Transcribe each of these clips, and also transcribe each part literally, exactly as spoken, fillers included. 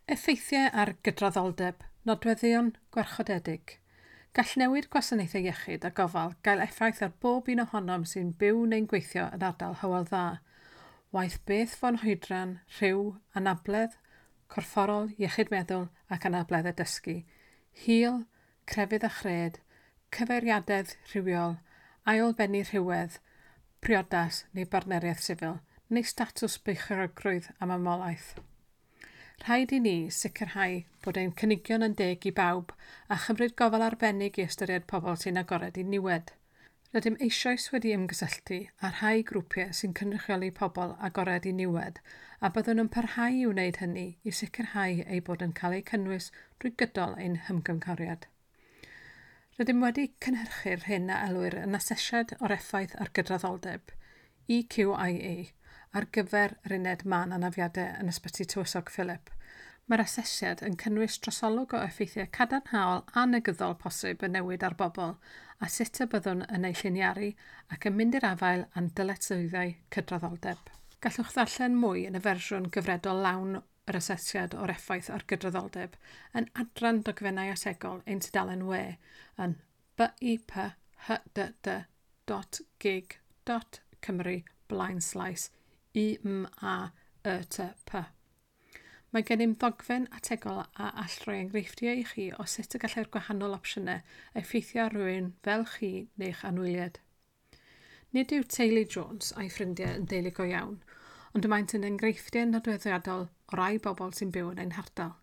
Effeithiau ar gydraddoldeb, nodweddion gwarchodedig. Gall newid gwasanaethau iechyd a gofal gael effaith ar bob un ohonom sy'n byw neu'n gweithio yn ardal Hywel Dda. Waeth beth fo'n hoedran, rhyw, anabledd, corfforol, iechyd meddwl ac anableddau dysgu, hil, crefydd a chred, cyfeiriadedd rhywiol, ailbennu rhywedd, priodas neu bartneriaeth sifil, neu statws beichiogrwydd a mamolaeth. Rhaid i ni sicrhau bod ein cynigion yn deg i bawb a chymryd gofal arbennig i ystyried pobl sy'n agored i niwed. Rydym eisoes wedi ymgysylltu â rhai grwpiau sy'n cynrychioli pobl agored i niwed a byddwn yn parhau i wneud hynny i sicrhau eu bod yn cael eu cynnwys drwy gydol ein hymgynghoriad. Rydym wedi cynhyrchu'r hyn a elwir yn asesiad o'r effaith ar gydraddoldeb, E Q I A, ar gyfer yr uned mân anafiadau yn Ysbyty Tywysog Philip. Mae'r asesiad yn cynnwys trosolwg o effeithiau cadarnhaol a negyddol posib y newid ar bobl a sut y byddwn yn eu lliniaru ac yn mynd i'r afael â'n dyletswyddau cydraddoldeb. Gallwch ddarllen mwy yn y fersiwn gyfredol lawn yr asesiad o'r effaith ar gydraddoldeb yn adran dogfennau ategol ein tudalen we yn b i p h d d dot gig dot cymru blaen slaes u m a y t p. Mae gennym ddogfen ategol a all roi enghreifftiau i chi o sut y gallai'r gwahanol opsiynau effeithio ar rywun fel chi neu'ch anwyliaid. Nid yw teulu Jones a'i ffrindiau yn deulu go iawn, ond maent yn enghreifftiau nodweddiadol o rai bobl sy'n byw yn ein hardal.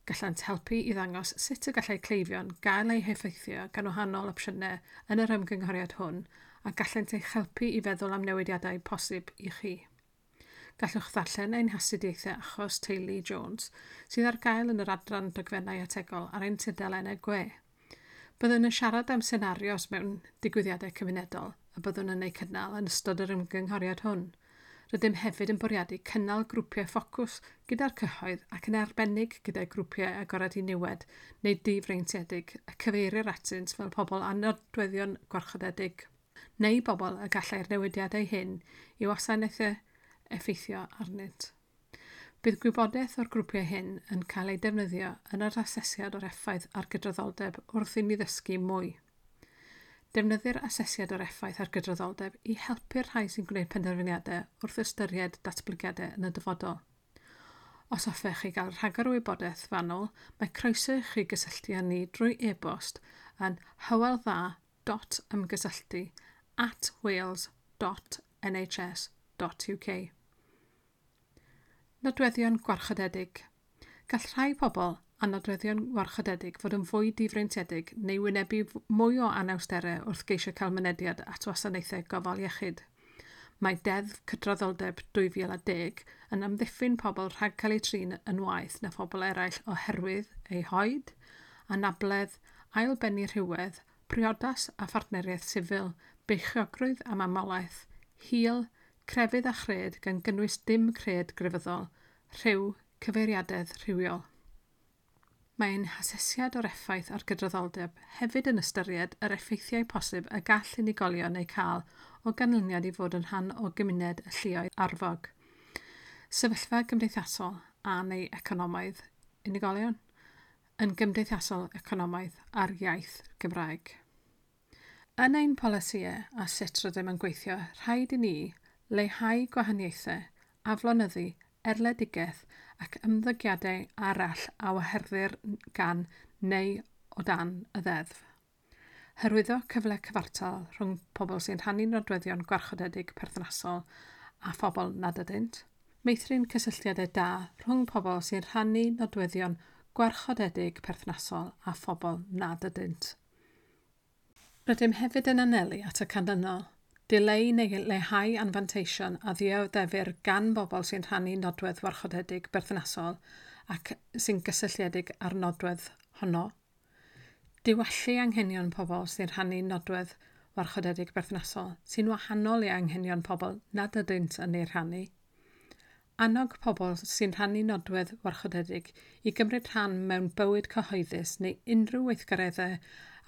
Gallant helpu i ddangos sut y gallai cleifion gael eu heffeithio gan wahanol opsiynau yn yr ymgynghoriad hwn a gallent eich helpu i feddwl am newidiadau posib i chi. Gallwch ddarllen ein hastudiaethau achos teulu Jones sydd ar gael yn yr adran dogfennau ategol ar ein tudalennau gwe. Byddwn yn siarad am senarios mewn digwyddiadau cymunedol y byddwn yn eu cynnal yn ystod yr ymgynghoriad hwn. Rydym hefyd yn bwriadu cynnal grwpiau ffocws gyda'r cyhoedd ac yn arbennig gyda grwpiau agored i niwed neu difreintiedig y cyfeirir atynt fel pobl â nodweddion gwarchodedig, neu bobl y gallai'r newidiadau hyn i wasanaethau effeithio arnynt. Bydd gwybodaeth o'r grwpiau hyn yn cael ei defnyddio yn yr asesiad o'r effaith ar gydraddoldeb wrth i ni ddysgu mwy. Defnyddir asesiad o'r effaith ar gydraddoldeb i helpu'r rhai sy'n gwneud penderfyniadau wrth ystyried datblygiadau yn y dyfodol. Os hoffech chi gael rhagor o wybodaeth fanwl, mae croeso i chi gysylltu â ni drwy e-bost yn hyweldda dot ymgysylltu at wales dot n h s dot u k. Nodweddion gwarchodedig. Gall rhai pobl a nodweddion gwarchodedig fod yn fwy difreintiedig neu wynebu mwy o anawsterau wrth geisio cael mynediad at wasanaethau gofal iechyd. Mae Deddf Cydraddoldeb dwy fil a deg yn amddiffyn pobl rhag cael eu trin yn waeth na phobl eraill oherwydd eu hoed, anabledd, ailbennu rhywedd, priodas a phartneriaeth sifil, beichiogrwydd a mamolaeth, hil, crefydd a chred gan gynnwys dim cred grefyddol, rhyw, cyfeiriadedd rhywiol. Mae ein hasesiad o'r effaith ar gydraddoldeb hefyd yn ystyried yr effeithiau posib y gall unigolion eu cael o ganlyniad i fod yn rhan o gymuned y lluoedd arfog. Sefyllfa gymdeithasol a neu economaidd unigolion yn gymdeithasol economaidd a'r iaith Gymraeg. Yn ein polisïau a sut rydym yn gweithio, rhaid i ni leihau gwahaniaethau, aflonyddu, erledigaeth ac ymddygiadau arall a waherddir gan neu o dan y ddeddf. Hyrwyddo cyfle cyfartal rhwng pobl sy'n rhannu nodweddion gwarchodedig perthnasol a phobl nad ydynt. Meithrin cysylltiadau da rhwng pobl sy'n rhannu nodweddion gwarchodedig perthnasol a phobl nad ydynt. Rydym hefyd yn anelu at y canlynol. Dileu neu leihau anfanteision a ddioddefir gan bobl sy'n rhannu nodwedd warchodedig berthnasol ac sy'n gysylltiedig â'r nodwedd honno. Diwallu anghenion pobl sy'n rhannu nodwedd warchodedig berthnasol sy'n wahanol i anghenion pobl nad ydynt yn ei rhannu. Annog pobl sy'n rhannu nodwedd warchodedig i gymryd rhan mewn bywyd cyhoeddus neu unrhyw weithgareddau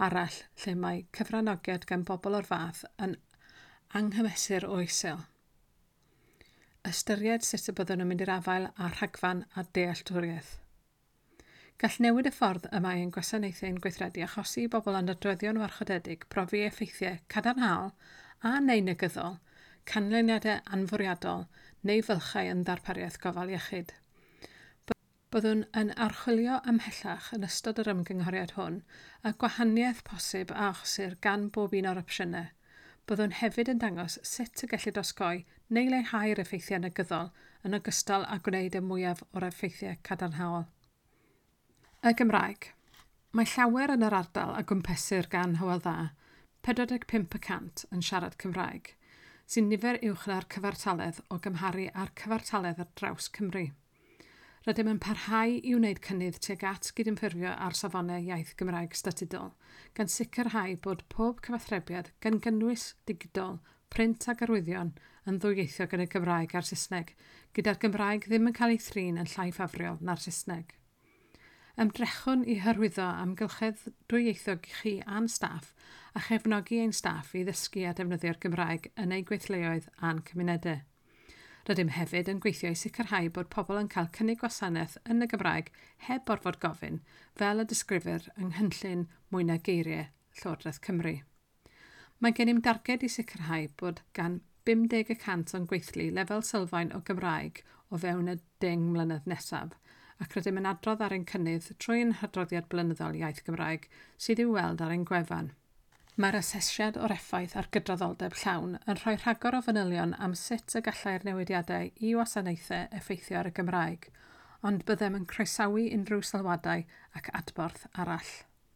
arall lle mae cyfranogiad gan bobl o'r fath yn anghymesur o isel. Ystyried sut y byddwn yn mynd i'r afael â rhagfarn a dealltwriaeth. Gall newid y ffordd y mae ein gwasanaethau'n gweithredu achosi i bobl â nodweddion warchodedig brofi effeithiau cadarnhaol a neu negyddol, canlyniadau anfwriadol neu fylchau yn ddarpariaeth gofal iechyd. Byddwn yn archwilio ymhellach yn ystod yr ymgynghoriad hwn y gwahaniaeth posib a achosir gan bob un o'r opsiynau. Byddwn hefyd yn dangos sut y gellir osgoi neu leihau'r effeithiau negyddol yn ogystal â gwneud y mwyaf o'r effeithiau cadarnhaol. Y Gymraeg. Mae llawer yn yr ardal a gwmpesir gan Hywel Dda, pedwar deg pump y cant yn siarad Cymraeg, sy'n nifer uwch na'r cyfartaledd o gymharu â'r cyfartaledd ar draws Cymru. Rydym yn parhau i wneud cynnydd tuag at gydymffurfio ar safonau iaith Gymraeg statudol, gan sicrhau bod pob cyfathrebiad gan gynnwys digidol, print ac arwyddion yn ddwyieithog yn y Gymraeg a'r Saesneg, gyda'r Gymraeg ddim yn cael ei thrin yn llai ffafriol na'r Saesneg. Ymdrechwn i hyrwyddo amgylchedd dwyieithog i chi a'n staff a chefnogi ein staff i ddysgu a defnyddio'r Gymraeg yn eu gweithleoedd a'n cymunedau. Rydym hefyd yn gweithio i sicrhau bod pobl yn cael cynnig gwasanaeth yn y Gymraeg heb orfod gofyn, fel y disgrifir yng nghynllun Mwy Na Geiriau Llywodraeth Cymru. Mae gennym darged i sicrhau bod gan bum deg y cant o'n gweithlu lefel sylfaen o Gymraeg o fewn y deng mlynedd nesaf, ac rydym yn adrodd ar ein cynnydd trwy ein hadroddiad blynyddol iaith Gymraeg sydd i'w weld ar ein gwefan. Mae'r asesiad o'r effaith ar gydraddoldeb llawn yn rhoi rhagor o fanylion am sut y gallai'r newidiadau i wasanaethau effeithio ar y Gymraeg, ond byddem yn croesawu unrhyw sylwadau ac adborth arall.